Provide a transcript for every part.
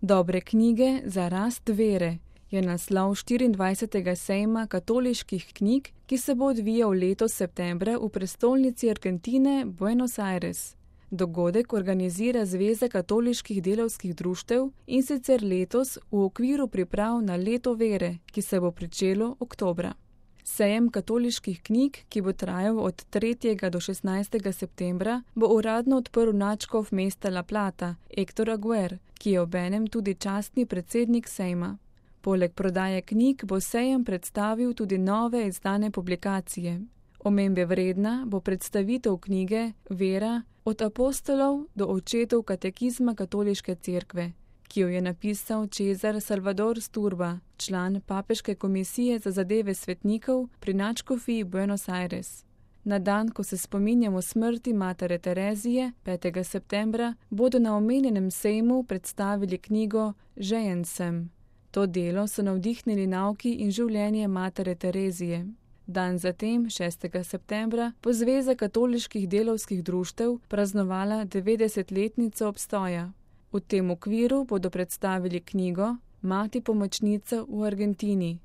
Dobre knjige za rast vere je naslov 24. sejma katoliških knjig, ki se bo odvijal letos septembra v prestolnici Argentine Buenos Aires. Dogodek organizira Zveza katoliških delavskih društev in sicer letos v okviru priprav na leto vere, ki se bo pričelo oktobra. Sejem katoliških knjig, ki bo trajal od 3. do 16. septembra, bo uradno odprl nadškof mesta La Plata, Héctor Aguer, ki je obenem tudi častni predsednik sejma. Poleg prodaje knjig bo sejem predstavil tudi nove izdane publikacije. Omembe vredna bo predstavitev knjige Vera od apostolov do očetov katekizma katoliške cerkve, ki jo je napisal César Salvador Sturba, član Papeške komisije za zadeve svetnikov pri nadškofiji Buenos Aires. Na dan, ko se spominjamo smrti matere Terezije, 5. septembra, bodo na omenjenem sejmu predstavili knjigo Žejen sem. To delo so navdihnili nauki in življenje matere Terezije. Dan zatem, 6. septembra, bo Zveza katoliških delavskih društev praznovala 90-letnico obstoja. V tem okviru bodo predstavili knjigo Mati pomočnica v Argentini.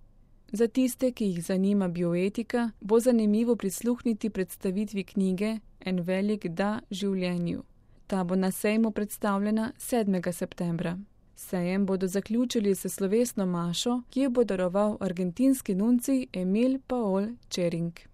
Za tiste, ki jih zanima bioetika, bo zanimivo prisluhniti predstavitvi knjige En velik da življenju. Ta bo na sejmu predstavljena 7. septembra. Sejem bodo zaključili s slovesno mašo, ki jo bo daroval argentinski nuncij Emil Paol Čering.